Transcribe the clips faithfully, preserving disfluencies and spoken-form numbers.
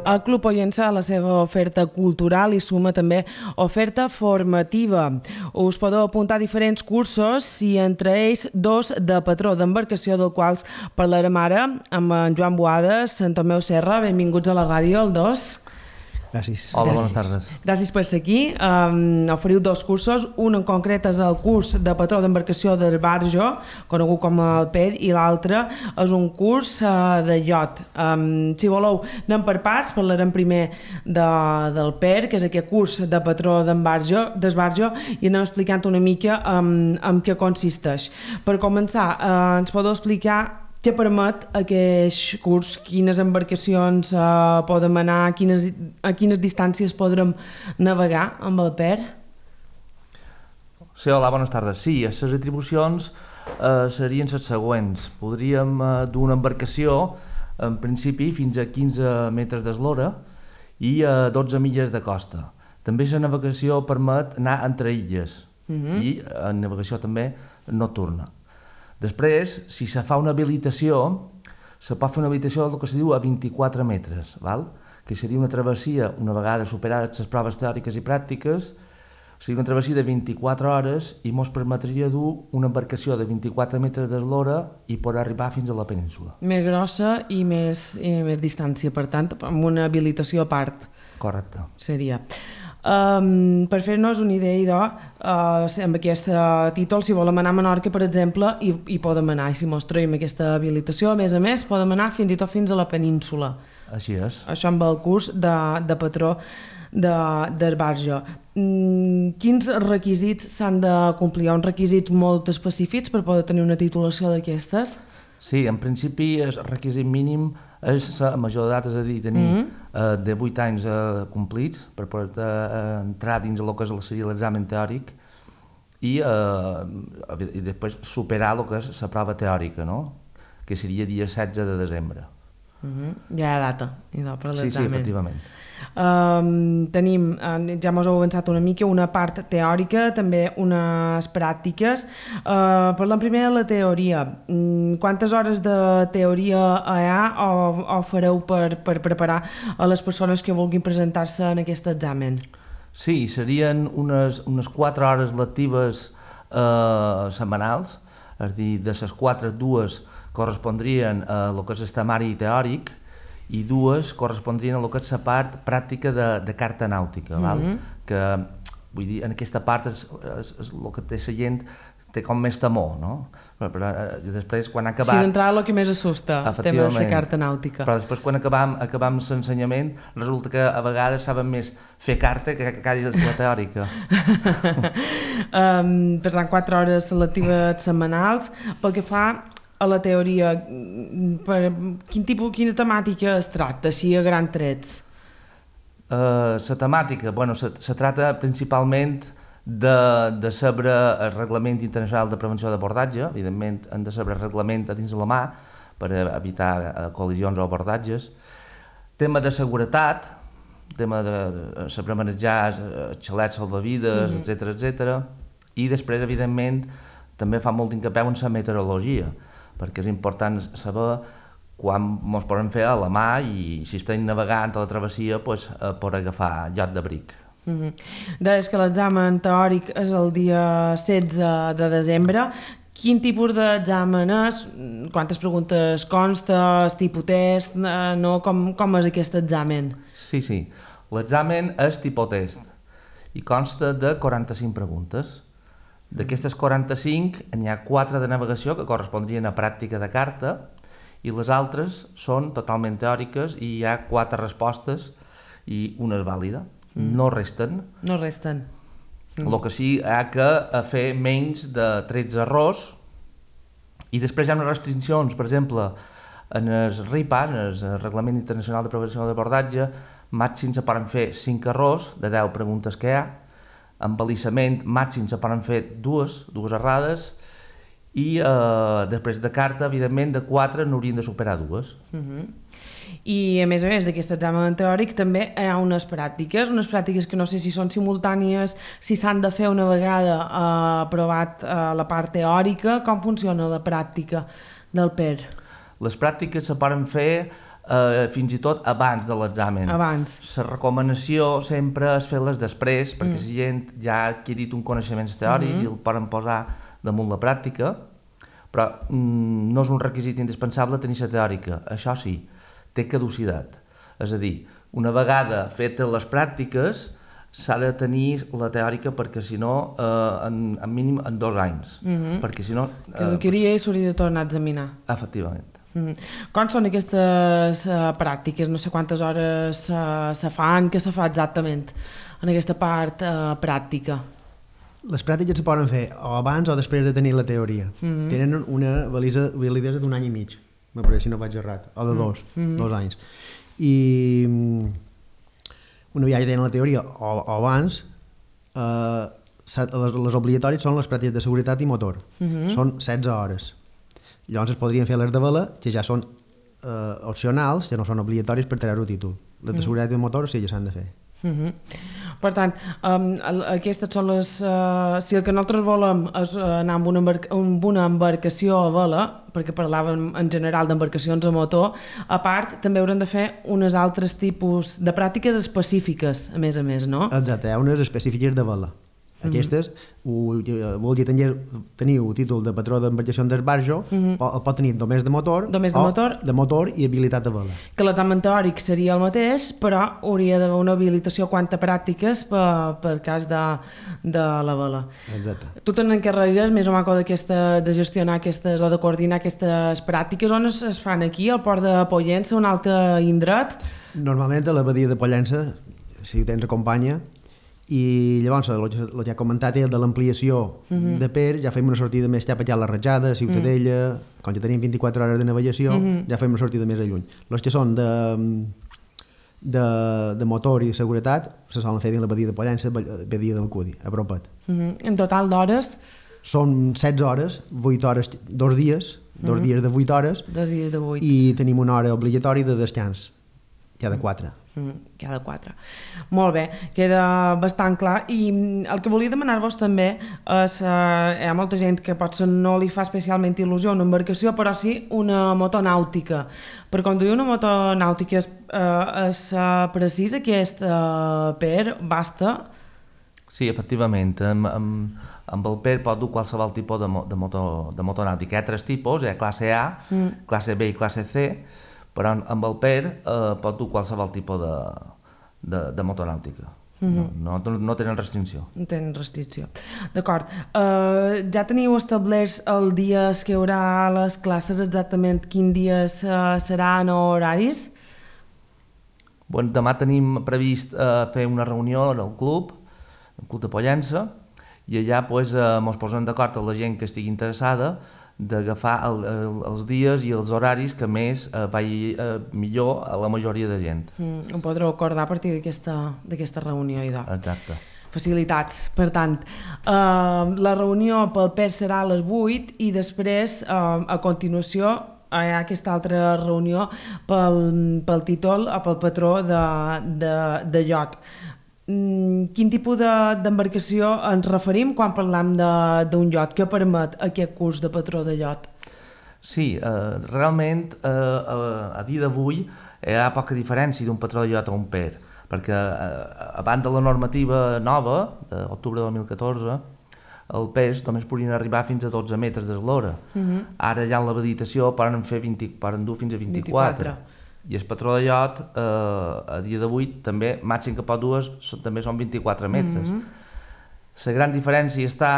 El Club Pollença, a la seva oferta cultural, hi suma també oferta formativa. Us podeu apuntar a diferents cursos i entre ells dos de patró d'embarcació, del quals parlarem ara amb en Joan Boades, en Tomeu Serra. Benvinguts a la ràdio, el dos. Gràcies. Hola, Gràcies. bones tardes. Gràcies per ser aquí. Um, oferiu dos cursos, un en concret és el curs de patró d'embarcació del Barjo, conegut com el P E R, i l'altre és un curs uh, de iot. Um, si voleu, anem per parts, parlarem primer de, del P E R, que és aquest curs de patró d'embarjo, d'esbarjo, i anem explicant una mica um, en què consisteix. Per començar, uh, ens podeu explicar què permet aquest curs, quines embarcacions uh, podem anar, quines, a quines distàncies podrem navegar amb el P E R? Sí, hola, bones tardes. Sí, les atribucions eh, serien les següents. Podríem eh, dur una embarcació, en principi, fins a quinze metres d'eslora i a dotze milles de costa. També la navegació permet anar entre illes uh-huh. i eh, navegació també nocturna. Després, si se fa una habilitació, se pot fer una habilitació del que se diu a vint-i-quatre metres, val? Que seria una travessia, una vegada superades les proves teòriques i pràctiques, seria una travessia de vint-i-quatre hores i ens permetria dur una embarcació de vint-i-quatre metres d'eslora i poder arribar fins a la península. Més grossa i més, i més distància, per tant, amb una habilitació a part. Correcte. Seria. Um, per fer-nos una idea, idò, uh, amb aquest títol, si volem anar a Menorca, per exemple, hi, hi podem anar, i si mos traiem aquesta habilitació, a més a més, podem anar fins i tot fins a la península. Així és. Això amb el curs de, de patró d'esbarjo. Mm, quins requisits s'han de complir? Hi ha uns requisits molt específics per poder tenir una titulació d'aquestes? Sí, en principi el requisit mínim és la major d'edat, és a dir, tenir mm-hmm. eh, de vuit anys eh, complits per poder eh, entrar dins el que seria l'examen teòric i, eh, i després superar el que és la prova teòrica, no? Que seria dia setze de desembre. Mm-hmm. Ja hi ha data, idò, per l'examen. Sí, sí, efectivament. Um, tenim, ja mos heu avançat una mica, una part teòrica, també unes pràctiques. Uh, parlem primer de la teoria. Um, quantes hores de teoria hi ha o, o fareu per, per preparar a les persones que vulguin presentar-se en aquest examen? Sí, serien unes, unes quatre hores lectives eh, setmanals, és a dir, de les quatre, dues correspondrien a el que és el temari teòric i dues correspondrien a el que és la part pràctica de, de carta nàutica, val? Mm-hmm. Que, vull dir, en aquesta part és, és, és el que té la gent té com més temor, no? Però, però després, quan ha acabat... Sí, d'entrada el que més assusta, el tema de la carta nàutica. Però després, quan acabam, acabam l'ensenyament, resulta que a vegades saben més fer carta que quasi la teòrica. um, per tant, quatre hores lectives setmanals. Pel que fa a la teoria, per quin tipus, quina temàtica es tracta, així a grans trets? Uh, la temàtica, bueno, se, se trata principalment de, de saber el Reglament Internacional de Prevenció d'abordatge. Evidentment, hem de saber el reglament a dins de la mà per evitar uh, col·lisions o abordatges. Tema de seguretat, tema de, de saber manejar xalets salvavides, mm-hmm. etcètera, etcètera. I després, evidentment, també fa molt d'incapeu en la meteorologia, perquè és important saber quan ens podem fer a la mà i si estem navegant a la travessia pues, eh, per agafar lloc d'abric. Mm-hmm. Deies que l'examen teòric és el dia setze de desembre. Quin tipus d'examen és? Quantes preguntes consta? És tipus test? No? Com, com és aquest examen? Sí, sí. L'examen és tipus test i consta de quaranta-cinc preguntes. D'aquestes quaranta-cinc n'hi ha quatre de navegació que correspondrien a pràctica de carta i les altres són totalment teòriques i hi ha quatre respostes i una és vàlida. Mm. No resten. No resten. Mm. El que sí hi ha que fer menys de tretze errors i després hi ha unes restriccions, per exemple, en el R I P A, en el Reglament Internacional de Prevenció d'abordatge, màxim se poden fer cinc errors de deu preguntes que hi ha. En balisament màxim se poden fer dues, dues errades i eh, després de carta, evidentment, de quatre n'haurien de superar dues. Uh-huh. I a més a més d'aquest examen teòric també hi ha unes pràctiques, unes pràctiques que no sé si són simultànies, si s'han de fer una vegada eh, aprovat eh, la part teòrica. Com funciona la pràctica del P E R? Les pràctiques se poden fer eh, fins i tot abans de l'examen. Abans. La recomanació sempre és fer-les després, perquè mm. la gent ja ha adquirit un coneixements teòrics mm -hmm. i el poden posar damunt la pràctica, però mm, no és un requisit indispensable tenir la teòrica. Això sí, té caducitat. És a dir, una vegada fetes les pràctiques, s'ha de tenir la teòrica perquè si no, eh, en, en mínim en dos anys. Mm -hmm. Perquè si no... Eh, que queria i s'hauria de tornar a examinar. Efectivament. Mm. Com són aquestes uh, pràctiques? No sé quantes hores uh, se fan, què se fa exactament en aquesta part uh, pràctica? Les pràctiques se poden fer o abans o després de tenir la teoria. Mm-hmm. Tenen una valisa, validesa d'un any i mig, me pareix, si no vaig errat, o de dos, mm-hmm. dos anys. I una vegada tenen la teoria o, o abans, eh, les, les obligatòries són les pràctiques de seguretat i motor. Mm-hmm. Són setze hores. Llavors es podrien fer les de vela, que ja són eh, opcionals, ja no són obligatoris per treure el títol. Les de seguretat i de motor sí, ja s'han de fer. Uh-huh. Per tant, um, aquestes són les... Uh, si el que nosaltres volem és anar amb una, embarca, amb una embarcació a vela, perquè parlàvem en general d'embarcacions a motor, a part també haurem de fer unes altres tipus de pràctiques específiques, a més a més, no? Exacte, hi ha unes específiques de vela. Aquestes, mm-hmm. vol dir tenir, teniu títol de patró d'embarcació d'esbarjo, mm-hmm. el pot tenir només de motor, només de o motor, de motor i habilitat de vela. Que l'examen teòric seria el mateix, però hauria d'haver una habilitació quant a pràctiques per, per cas de, de la vela. Exacte. Tu te n'encarregues més o menys de gestionar aquestes o de coordinar aquestes pràctiques. On es, es fan aquí, al port de Pollença, un altre indret? Normalment a la badia de Pollença, si ho tens acompanya, i llavors el que ja he comentat és de l'ampliació uh-huh. de Per, ja fem una sortida més cap allà a la Rajada, a Ciutadella, uh-huh. com ja tenim vint-i-quatre hores de navegació, uh-huh. ja fem una sortida més a lluny. Els que són de, de, de motor i de seguretat se solen fer dins la badia de Pollença, badia del Cudi, a propet. Uh-huh. En total d'hores? Són setze hores, vuit hores, dos dies, dos uh-huh. dies de vuit hores, dos dies de vuit. I tenim una hora obligatòria de descans, ja de quatre. Cada quatre. Molt bé, queda bastant clar. I el que volia demanar-vos també és, eh, hi ha molta gent que potser no li fa especialment il·lusió una embarcació, però sí una motonàutica. Per conduir una motonàutica és, eh, és eh, precís aquest eh, Per, basta? Sí, efectivament. Amb, amb, amb el Per pot dur qualsevol tipus de, mo, de, moto, de motonàutica. Hi ha tres tipus, hi ha classe A, mm. classe B i classe C, però amb el Per eh, pot dur qualsevol tipus de, de, de motonàutica. Mm-hmm. no, no, no tenen restricció. No tenen restricció. D'acord. Uh, ja teniu establerts els dies que hi haurà les classes, exactament quins dies uh, seran o horaris? Bueno, demà tenim previst uh, fer una reunió al club, el club de Pollença, i allà pues, uh, ens posem d'acord amb la gent que estigui interessada d'agafar el, el, els dies i els horaris que més eh, vagi eh, millor a la majoria de gent. Mm, ho podreu acordar a partir d'aquesta reunió, idò. Exacte. Facilitats. Per tant, eh, la reunió pel Per serà a les vuit i després, eh, a continuació, hi ha aquesta altra reunió pel, pel títol o pel patró de, de, de iot. Quin tipus d'embarcació de, ens referim quan parlam d'un iot? Què permet aquest curs de patró de iot? Sí, eh, realment eh, a, a dia d'avui hi ha poca diferència d'un patró de iot a un Per, perquè eh, abans de la normativa nova, d'octubre de dos mil catorze, el pes només podien arribar fins a dotze metres d'eslora. Uh-huh. Ara ja en l'habilitació poden, fer vint, poden dur fins a vint-i-quatre. vint-i-quatre. I el patró de iot, eh, a dia d'avui, també, màxim que pot dur, també són vint-i-quatre metres. La uh-huh. gran diferència està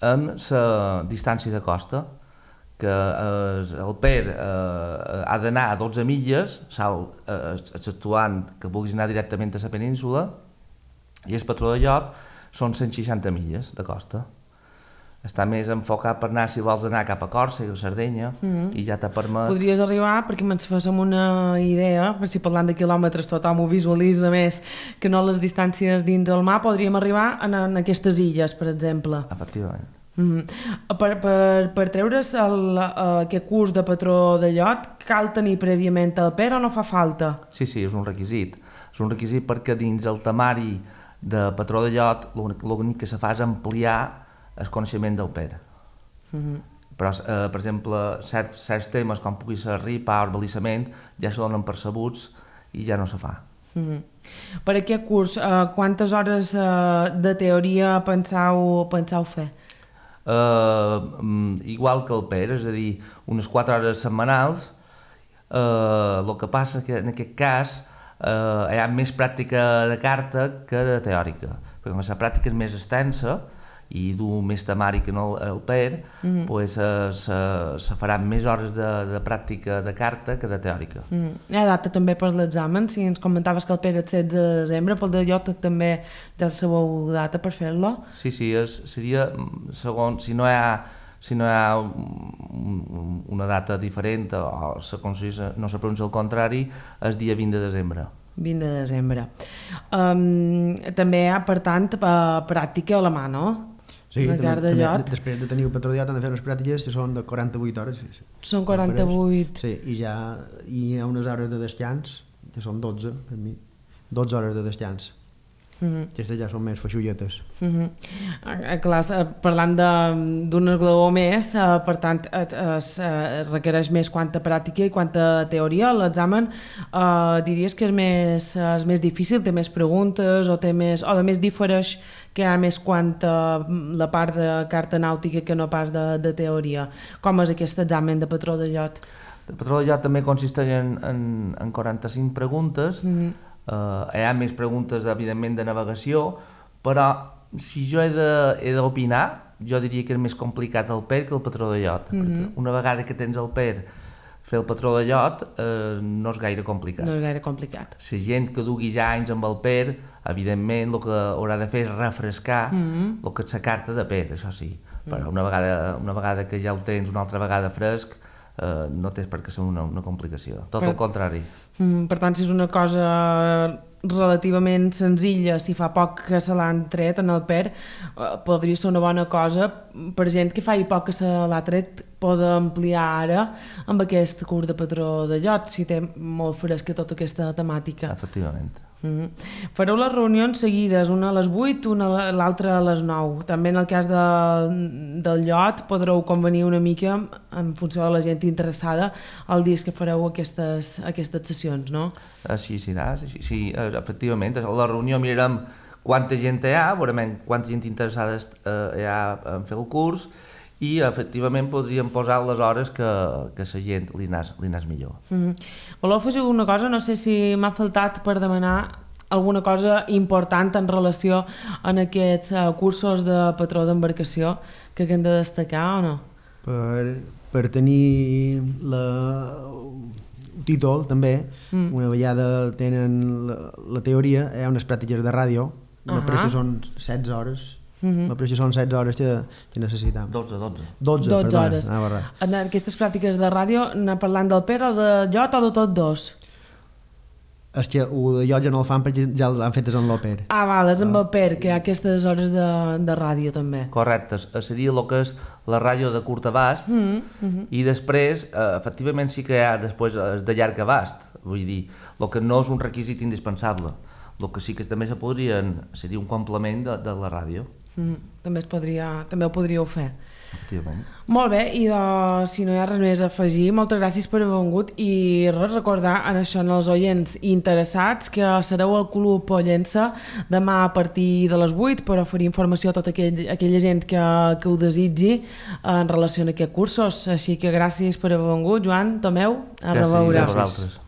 en la distància de costa, que eh, el Per eh, ha d'anar a dotze milles, salt, eh, exceptuant que vulguis anar directament a la península, i el patró de iot són cent seixanta milles de costa. Està més enfocat per anar, si vols anar cap a Còrsega o Sardenya, mm-hmm. i ja te permet... Podries arribar, perquè me'ns féssim una idea, per si parlant de quilòmetres tothom ho visualitza més que no les distàncies dins del mar, podríem arribar en, en aquestes illes, per exemple. Efectivament. Mm-hmm. Per, per, per treure's el, aquest curs de patró de iot, cal tenir prèviament el Per o no fa falta? Sí, sí, és un requisit. És un requisit perquè dins el temari de patró de iot l'únic que se fa és ampliar el coneixement del Per. Mm-hmm. però, eh, per exemple, certs, certs temes com pugui ser ripa o balisament ja se donen percebuts i ja no se fa. Mm-hmm. Per aquest curs, eh, quantes hores eh, de teoria pensau, pensau fer? Uh, igual que el P E R, és a dir, unes quatre hores setmanals. El uh, que passa que en aquest cas uh, hi ha més pràctica de carta que de teòrica, perquè com la pràctica és més extensa i du més temari que no el P E R, mm-hmm. pues, uh, se, se faran més hores de, de pràctica de carta que de teòrica. Mm. Hi ha data també per l'examen, si ens comentaves que el P E R és setze de desembre, pel de Llot també ja sabeu data per fer-lo? Sí, sí, és, seria, segons, si no hi ha, si no hi ha un, una data diferent o se, no se pronuncia el contrari, és dia vint de desembre. vint de desembre. Um, també hi ha, per tant, pràctica a la mà, no? Sí, també, també, després de tenir el patró de Llot han de fer unes pràctiques que són de quaranta-vuit hores. Són quaranta-vuit. Sí, i ja hi ha unes hores de descans, que són dotze, per mi, dotze hores de descans. Mm-hmm. Aquestes ja són més feixulletes. Mm-hmm. Clar, parlant d'un esglaó més, eh, per tant es, es, es requereix més quanta pràctica i quanta teoria. L'examen eh, diries que és més, és més difícil, té més preguntes o té més, o a més difereix que hi ha més quanta la part de carta nàutica que no pas de, de teoria. Com és aquest examen de patró de Llot? El patró de Llot també consisteix en, en, en quaranta-cinc preguntes. Mm-hmm. Uh, hi ha més preguntes, evidentment, de navegació, però si jo he d'opinar, jo diria que és més complicat el P E R que el patró de Llot. Mm-hmm. Una vegada que tens el P E R, fer el patró de Llot eh, no és gaire complicat. No és gaire complicat. La gent que dugui ja anys amb el P E R, evidentment, el que haurà de fer és refrescar mm-hmm. el que és la carta de P E R, això sí. Mm-hmm. Però una vegada, una vegada que ja ho tens una altra vegada fresc, Uh, no tens per què ser una, una complicació, tot per, el contrari. Mm, per tant, si és una cosa relativament senzilla, si fa poc que se l'han tret en el P E R, uh, podria ser una bona cosa per gent que fa i poc que se l'ha tret, poder ampliar ara amb aquest curs de patró de Llot, si té molt fresca tota aquesta temàtica. Efectivament. Mm-hmm. Fareu les reunions seguides, una a les vuit, una l'altra a les nou. També en el cas de, del Llot podreu convenir una mica en funció de la gent interessada el dia que fareu aquestes, aquestes sessions, no? Així serà, sí, sí, sí, efectivament. A la reunió mirarem quanta gent hi ha, veurem quanta gent interessada hi ha en fer el curs i efectivament podríem posar les hores que, que la gent li anés, li anés millor. Mm-hmm. Voleu afegir alguna cosa? No sé si m'ha faltat per demanar alguna cosa important en relació en aquests uh, cursos de patró d'embarcació que hem de destacar o no? Per, per tenir la, el títol també, mm. una vegada tenen la, la teoria, hi ha unes pràctiques de ràdio, uh-huh. per això són setze hores. Mm-hmm. Per això són setze hores que, que necessitam. dotze, dotze. dotze, dotze perdona. hores. Ah, en aquestes pràctiques de ràdio, anar parlant del P E R o de Llot o de tots dos? És que el de Llot ja no el fan perquè ja l'han fetes en l'O P E R. Ah, val, és amb el P E R, que hi ha aquestes hores de, de ràdio també. Correcte, seria el que és la ràdio de curt abast mm-hmm. i després, eh, efectivament sí que hi ha després de llarg abast, vull dir, el que no és un requisit indispensable. El que sí que també se podrien, seria un complement de, de la ràdio. Mm, també, es podria, també ho podríeu fer. Efectivament. Molt bé, i de, si no hi ha res més a afegir, moltes gràcies per haver vingut i res, recordar en això en els oients interessats que sereu al Club Pollença demà a partir de les vuit per oferir informació a tota aquell, aquella gent que, que ho desitgi en relació a aquests cursos. Així que gràcies per haver vingut, Joan, Tomeu, a reveure. Gràcies a vosaltres.